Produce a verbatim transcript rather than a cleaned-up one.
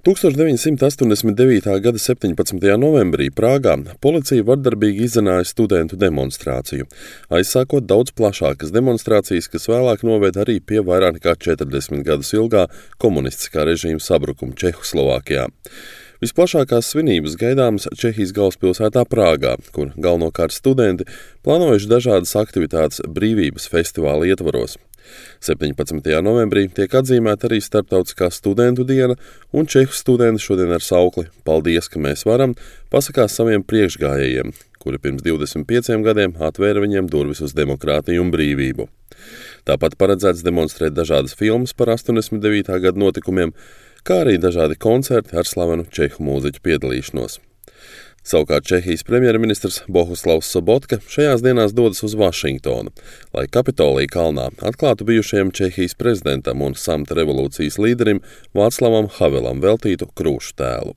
tuksstoš deviņsimt astoņdesmit devītā gada septiņpadsmitajā novembrī Prāgā policija vardarbīgi izzināja studentu demonstrāciju, aizsākot daudz plašākas demonstrācijas, kas vēlāk noveda arī pie vairāk nekā četrdesmit gadus ilgā komunistiskā režīma sabrukuma Čehoslovākijā. Visplašākās svinības gaidāmas Čehijas galvaspilsētā Prāgā, kur galvenokārt studenti plānojuši dažādas aktivitātes brīvības festivāla ietvaros. septiņpadsmitajā novembrī tiek atzīmēta arī Starptautiskā studentu diena, un čehu studenti šodien ar saukli "Paldies, ka mēs varam" pasakās saviem priekšgājējiem, kuri pirms divdesmit pieciem gadiem atvēra viņiem durvis uz demokrātiju un brīvību. Tāpat paredzēts demonstrēt dažādas filmas par astoņdesmit devītā gada notikumiem, kā arī dažādi koncerti ar slavenu čehu mūziķu piedalīšanos. Savukārt Čehijas premjerministrs Bohuslavs Sobotka šajās dienās dodas uz Vašingtonu, lai Kapitolija kalnā atklātu bijušajam Čehijas prezidentam un samta revolūcijas līderim Vāclavam Havelam veltītu krūšu tēlu.